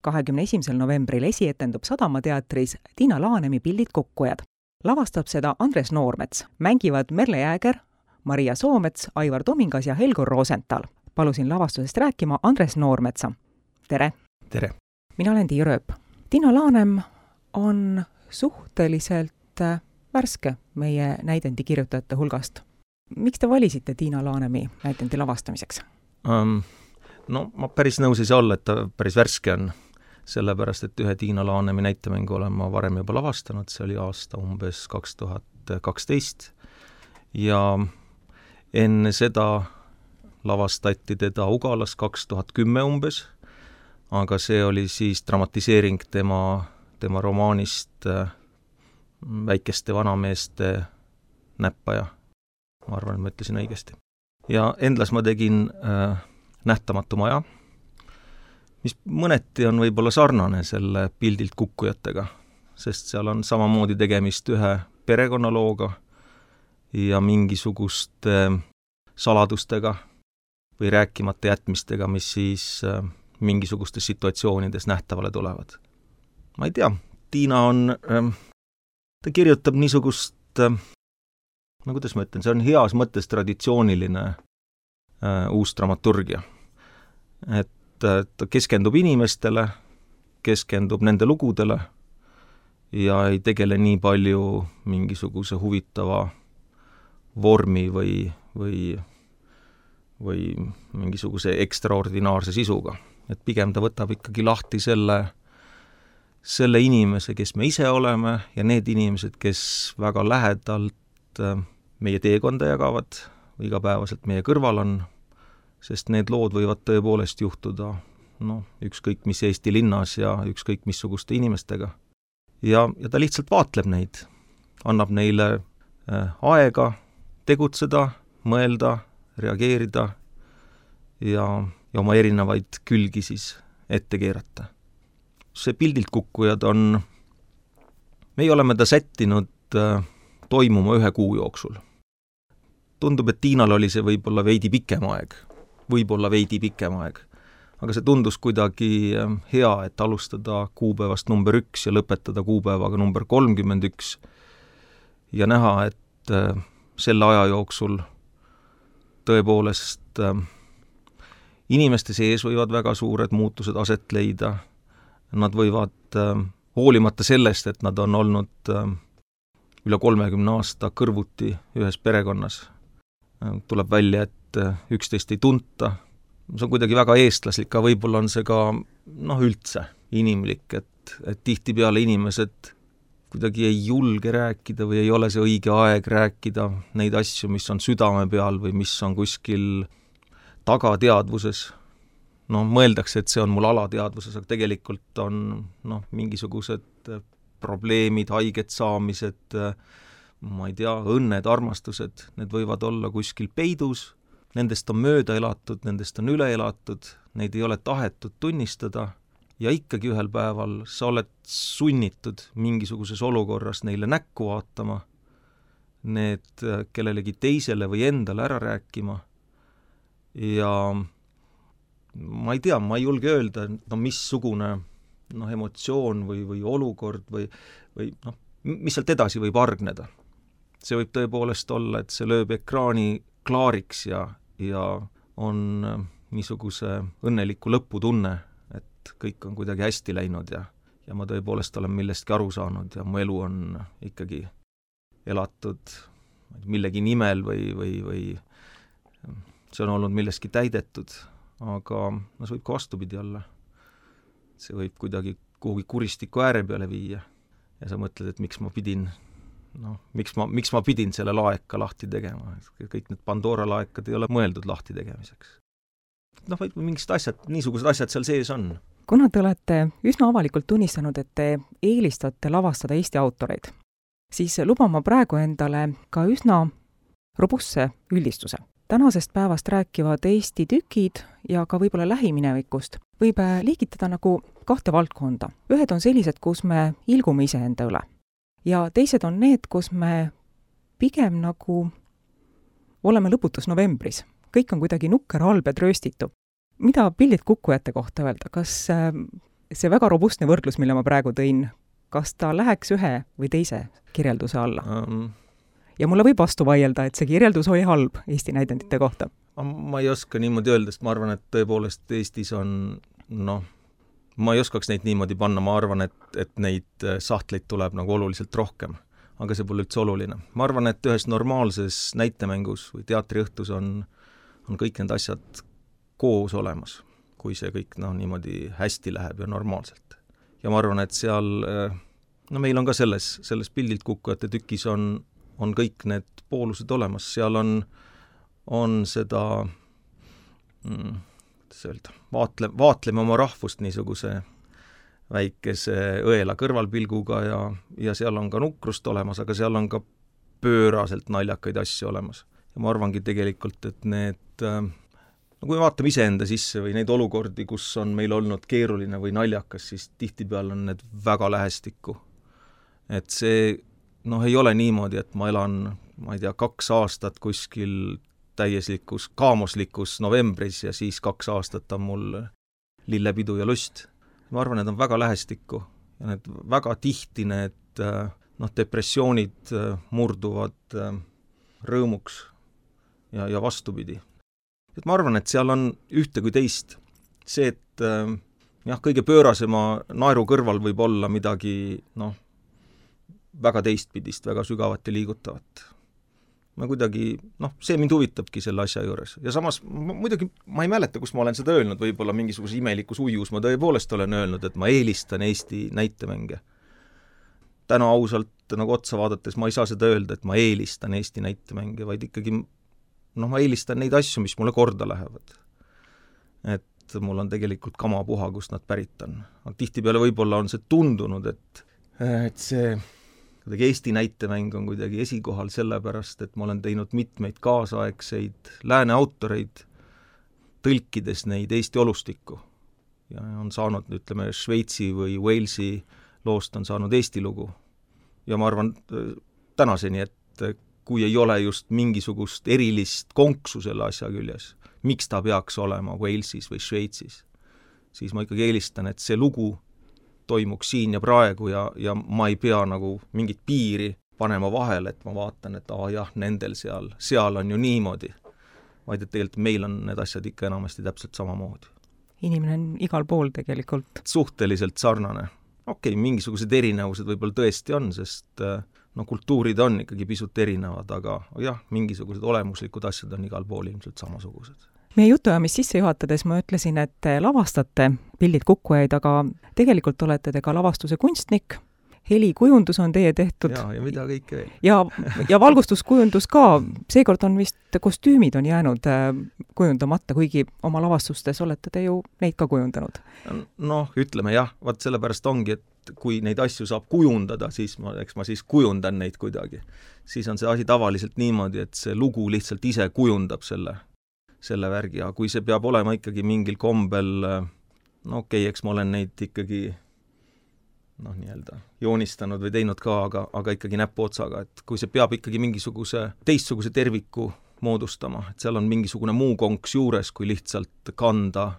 21. novembril esietendub Sadamateatris Tiina Laanemi Pildid kukkujad. Lavastab seda Andres Noormets. Mängivad Merle Jääger, Maria Soomets, Aivar Tomingas ja Helgur Rosenthal. Palusin lavastusest rääkima Andres Noormetsa. Tere! Tere! Mina olen Tiia Rööp. Tiina Laanem on suhteliselt värske meie näidendi kirjutajate hulgast. Miks te valisite Tiina Laanemi näidendi lavastamiseks? No ma päris nõus ei saa olla, et ta päris värske on. Sellepärast, et ühe Tiina Laanemi näitemängu olen ma varem juba lavastanud, see oli aasta umbes 2012 ja enne seda lavastati teda Ugalas 2010 umbes, aga see oli siis dramatiseering tema romaanist Väikeste vanameeste näppaja. Ma arvan, et ma ütlesin õigesti. Ja Endlas ma tegin Nähtamatu maja, mis mõneti on võib-olla sarnane selle Pildilt kukkujatega, sest seal on samamoodi tegemist ühe perekonnalooga ja mingisuguste saladustega või rääkimata jätmistega, mis siis mingisugustes situatsioonides nähtavale tulevad. Ma ei tea, Tiina ta kirjutab niisugust, kuidas ma ütlen, see on heas mõttes traditsiooniline uus dramaturgia. Et ta keskendub inimestele, keskendub nende lugudele ja ei tegele nii palju mingisuguse huvitava vormi või mingisuguse ekstraordinaarse sisuga. Et pigem ta võtab ikkagi lahti selle inimese, kes me ise oleme ja need inimesed, kes väga lähedalt meie teekonda jagavad või igapäevaselt meie kõrval on, sest need lood võivad tõepoolest juhtuda ükskõik mis Eesti linnas ja ükskõik missuguste inimestega. Ja ta lihtsalt vaatleb neid, annab neile aega tegutseda, mõelda, reageerida ja oma erinevaid külgi siis ette keerata. See Pildilt kukkujad meie oleme ta sättinud toimuma 1 kuu jooksul. Tundub, et Tiinal oli see võib-olla veidi pikem aeg, aga see tundus kuidagi hea, et alustada kuupäevast number 1 ja lõpetada kuupäevaga number 31 ja näha, et selle aja jooksul tõepoolest inimeste sees võivad väga suured muutused aset leida. Nad võivad, hoolimata sellest, et nad on olnud üle 30 aasta kõrvuti ühes perekonnas, tuleb välja, et üksteist ei tunta. See on kuidagi väga eestlaslik, aga võib-olla on see ka üldse inimlik, et tihtipeale inimesed kuidagi ei julge rääkida või ei ole see õige aeg rääkida neid asju, mis on südame peal või mis on kuskil tagateadvuses. Mõeldakse, et see on mul alateadvuses, aga tegelikult on mingisugused probleemid, haiget saamised, ma ei tea, õnned, armastused, need võivad olla kuskil peidus, nendest on mööda elatud, nendest on üle elatud, neid ei ole tahetud tunnistada ja ikkagi ühel päeval sa oled sunnitud mingisuguses olukorras neile näkku vaatama, need kellelegi teisele või endale ära rääkima ja ma ei tea, ma ei julge öelda, missugune emotsioon või olukord või mis sealt edasi võib argneda. See võib tõepoolest olla, et see lööb ekraani klaariks ja on niisuguse õnneliku lõputunne, et kõik on kuidagi hästi läinud ja ma tõepoolest olen millestki aru saanud ja mu elu on ikkagi elatud millegi nimel või see on olnud millestki täidetud, aga see võib ka vastupidi olla. See võib kuidagi kuhugi kuristiku ääre peale viia ja sa mõtled, et miks ma pidin selle laeka lahti tegema. Kõik need Pandora laekad ei ole mõeldud lahti tegemiseks. Mingid asjad, niisugused asjad seal sees on. Kuna te olete üsna avalikult tunnistanud, et te eelistate lavastada Eesti autoreid, siis luban ma praegu endale ka üsna robustse üldistuse. Tänasest päevast rääkivad Eesti tükid ja ka võib-olla lähiminevikust võib liigitada nagu 2 valdkonda. Ühed on sellised, kus me ilgume iseenda üle. Ja teised on need, kus me pigem nagu oleme lõputus novembris. Kõik on kuidagi nukker, halb ja trööstitu. Mida Pildid kukkujate kohta öelda? Kas see väga robustne võrdlus, mille ma praegu tõin, kas ta läheks ühe või teise kirjelduse alla? Ja mulle võib vastu vaielda, et see kirjeldus oli halb Eesti näidendite kohta. Ma ei oska niimoodi öelda, sest ma arvan, et tõepoolest Eestis on, ma ei oskaks neid niimoodi panna, ma arvan, et neid sahtleid tuleb nagu oluliselt rohkem, aga see pole üldse oluline. Ma arvan, et ühes normaalses näitemängus või teatriõhtus on kõik need asjad koos olemas, kui see kõik niimoodi hästi läheb ja normaalselt. Ja ma arvan, et seal, meil on ka selles Pildilt kukkujate tükis on kõik need poolused olemas, seal on seda, kuidas öelda, vaatleme oma rahvust niisuguse väikese õela kõrvalpilguga ja seal on ka nukrust olemas, aga seal on ka pööraselt naljakaid asju olemas. Ja ma arvangi tegelikult, et need, kui me vaatame iseenda sisse või neid olukordi, kus on meil olnud keeruline või naljakas, siis tihtipeale on need väga lähestikku. Et see ei ole niimoodi, et ma elan, ma ei tea, 2 aastat kuskil täieslikus, kaamoslikus novembris ja siis 2 aastat on mul lillepidu ja lust. Ma arvan, need on väga lähestikku ja need väga tihti need depressioonid murduvad rõõmuks ja vastupidi. Et ma arvan, et seal on ühte kui teist. See, et kõige pöörasema naeru kõrval võib olla midagi, väga teistpidist, väga sügavat ja liigutavat. Ma kuidagi, see mind huvitabki selle asja juures. Ja samas, muidugi, ma ei mäleta, kus ma olen seda öelnud, võib-olla mingisuguse imelikus ujus, ma tõepoolest olen öelnud, et ma eelistan Eesti näitemänge. Täna ausalt otsa vaadates ma ei saa seda öelda, et ma eelistan Eesti näitemänge, vaid ikkagi, ma eelistan neid asju, mis mulle korda lähevad. Et mul on tegelikult kamapuha, kust nad pärit on. Tihtipeale võib-olla on see tundunud, et see Eesti näitemäng on kuidagi esikohal sellepärast, et ma olen teinud mitmeid kaasaegseid lääne autoreid, tõlkides neid Eesti olustikku. Ja on saanud, ütleme, Šveitsi või Walesi loost on saanud Eesti lugu. Ja ma arvan tänaseni, et kui ei ole just mingisugust erilist konksu selle asja küljes, miks ta peaks olema Walesis või Šveitsis, siis ma ikkagi eelistan, et see lugu toimuks siin ja praegu ja ma ei pea nagu mingit piiri panema vahele, et ma vaatan, et nendel seal on ju niimoodi, vaid et tegelikult meil on need asjad ikka enamasti täpselt samamoodi. Inimene on igal pool tegelikult. Suhteliselt sarnane. Mingisugused erinevused võib-olla tõesti on, sest kultuurid on ikkagi pisut erinevad, aga mingisugused olemuslikud asjad on igal pool ilmselt samasugused. Meie jutuajamist sisse juhatades ma ütlesin, et lavastate Pildid kukkujaid, aga tegelikult olete te ka lavastuse kunstnik. Helikujundus on teie tehtud. Ja mida kõike veel. Ja valgustuskujundus ka. Seekord on vist kostüümid on jäänud kujundamata, kuigi oma lavastustes olete te ju neid ka kujundanud. Ütleme vaat sellepärast ongi, et kui neid asju saab kujundada, siis ma kujundan neid kuidagi. Siis on see asi tavaliselt niimoodi, et see lugu lihtsalt ise kujundab selle värgi, ja kui see peab olema ikkagi mingil kombel, eks ma olen neid ikkagi joonistanud või teinud ka, aga ikkagi näpuotsaga, et kui see peab ikkagi mingisuguse teistsuguse terviku moodustama, et seal on mingisugune muu konks juures, kui lihtsalt kanda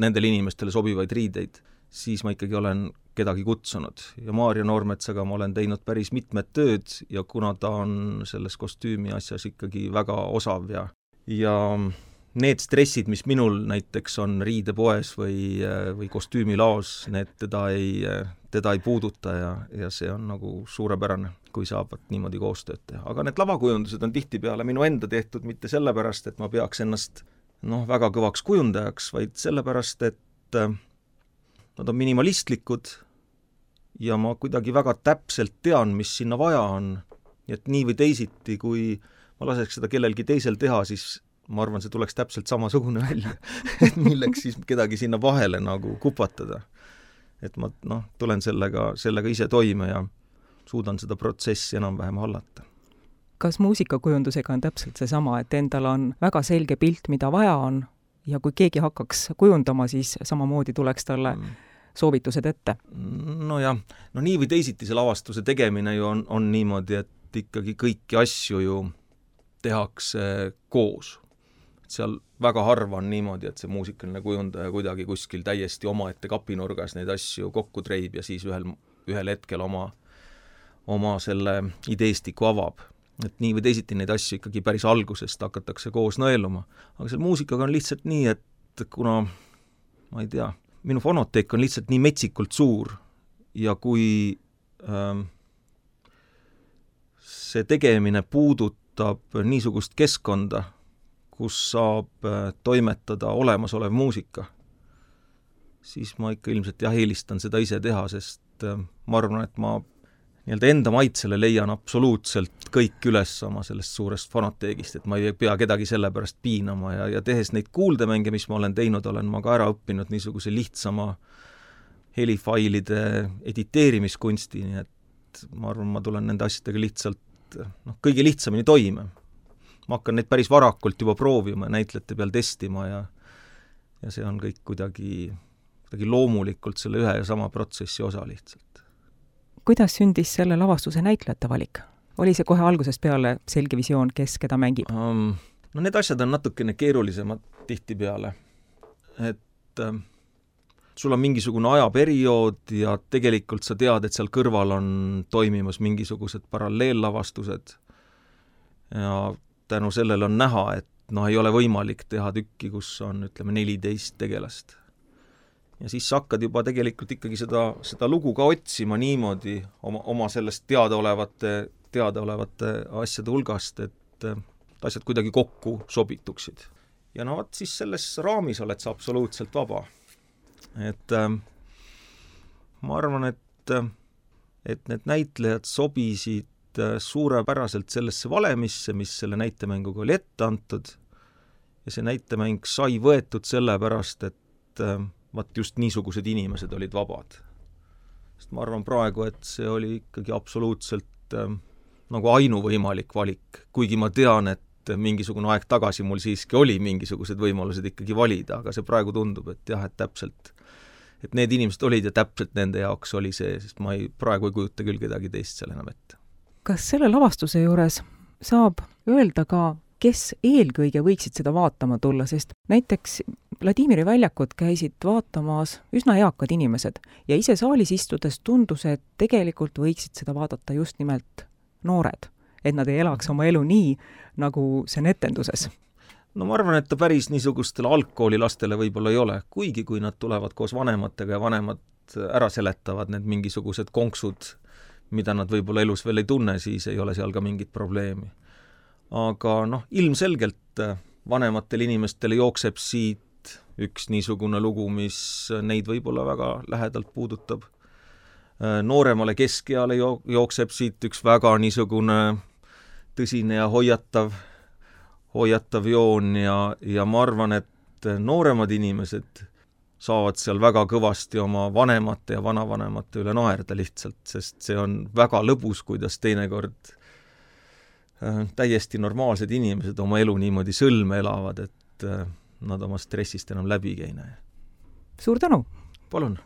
nendele inimestele sobivaid riideid, siis ma ikkagi olen kedagi kutsunud. Ja Maarja Noormetsaga ma olen teinud päris mitmed tööd ja kuna ta on selles kostüümi asjas ikkagi väga osav ja need stressid, mis minul näiteks on riidepoes või kostüümilaos, need teda ei puuduta ja see on nagu suurepärane, kui saavad niimoodi koostööd teha. Aga need lavakujundused on tihtipeale minu enda tehtud mitte sellepärast, et ma peaks ennast väga kõvaks kujundajaks, vaid sellepärast, et nad on minimalistlikud ja ma kuidagi väga täpselt tean, mis sinna vaja on. Et nii või teisiti, kui ma laseks seda kellelgi teisel teha, siis ma arvan, see tuleks täpselt samasugune välja. Et milleks siis kedagi sinna vahele nagu kupatada. Et ma tulen sellega ise toime ja suudan seda protsessi enam-vähem hallata. Kas muusikakujundusega on täpselt seesama, et endal on väga selge pilt, mida vaja on ja kui keegi hakkaks kujundama, siis samamoodi tuleks talle soovitused ette? Nii või teisiti see lavastuse tegemine ju on niimoodi, et ikkagi kõiki asju ju tehakse koos. seal väga harva on niimoodi, et see muusikaline kujundaja kuidagi kuskil täiesti omaette kapinurgas neid asju kokku treib ja siis ühel hetkel oma selle ideestiku avab. Et nii või teisiti neid asju ikkagi päris algusest hakatakse koos nõeluma. Aga selle muusikaga on lihtsalt nii, et kuna, ma ei tea, minu fonoteek on lihtsalt nii metsikult suur ja kui see tegemine puudutab niisugust keskkonda, kus saab toimetada olemasolev muusika, siis ma ikka ilmselt eelistan seda ise teha, sest ma arvan, et ma enda maitsele leian absoluutselt kõik üles oma sellest suurest fonoteegist, et ma ei pea kedagi selle pärast piinama ja tehes neid kuuldemänge, mis ma olen teinud, olen ma ka ära õppinud niisuguse lihtsama helifailide editeerimiskunsti, nii et ma arvan, ma tulen nende asjadega lihtsalt kõige lihtsamini toime. Ma hakkan neid päris varakult juba proovima ja näitlejate peal testima ja see on kõik kuidagi loomulikult selle ühe ja sama protsessi osa lihtsalt. Kuidas sündis selle lavastuse näitlejate valik? Oli see kohe algusest peale selge visioon, kes keda mängib? No need asjad on natukene keerulisemad tihtipeale. Et sul on mingisugune ajaperiood ja tegelikult sa tead, et seal kõrval on toimimas mingisugused paralleellavastused ja tänu sellele on näha, et ei ole võimalik teha tükki, kus on, 14 tegelast. Ja siis sa hakkad juba tegelikult ikkagi seda lugu ka otsima niimoodi oma sellest teadaolevate asjade hulgast, et asjad kuidagi kokku sobituksid. Ja siis selles raamis oled sa absoluutselt vaba. Et ma arvan, et need näitlejad sobisid suurepäraselt sellesse valemisse, mis selle näitemänguga oli ette antud ja see näitemäng sai võetud sellepärast, et just niisugused inimesed olid vabad. Sest ma arvan praegu, et see oli ikkagi absoluutselt nagu ainuvõimalik valik, kuigi ma tean, et mingisugune aeg tagasi mul siiski oli mingisugused võimalused ikkagi valida, aga see praegu tundub, et jah, et täpselt, et need inimesed olid ja täpselt nende jaoks oli see, sest ma praegu ei kujuta küll kedagi teist seal enam ette. Kas selle lavastuse juures saab öelda ka, kes eelkõige võiksid seda vaatama tulla, sest näiteks Vladimiri väljakut käisid vaatamas üsna eakad inimesed ja ise saalis istudes tundus, et tegelikult võiksid seda vaadata just nimelt noored, et nad ei elaks oma elu nii, nagu see on etenduses. No ma arvan, et ta päris niisugustele algkoolilastele võib-olla ei ole, kuigi kui nad tulevad koos vanematega ja vanemad ära seletavad need mingisugused konksud, mida nad võib-olla elus veel ei tunne, siis ei ole seal ka mingit probleemi. Aga ilmselgelt vanematel inimestel jookseb siit üks niisugune lugu, mis neid võib-olla väga lähedalt puudutab. Nooremale keskeale jookseb siit üks väga niisugune tõsine ja hoiatav joon ja ma arvan, et nooremad inimesed saavad seal väga kõvasti oma vanemate ja vanavanemate üle naerda lihtsalt, sest see on väga lõbus, kuidas teinekord täiesti normaalsed inimesed oma elu niimoodi sõlme elavad, et nad oma stressist enam läbi ei näe. Suur tänu! Palun!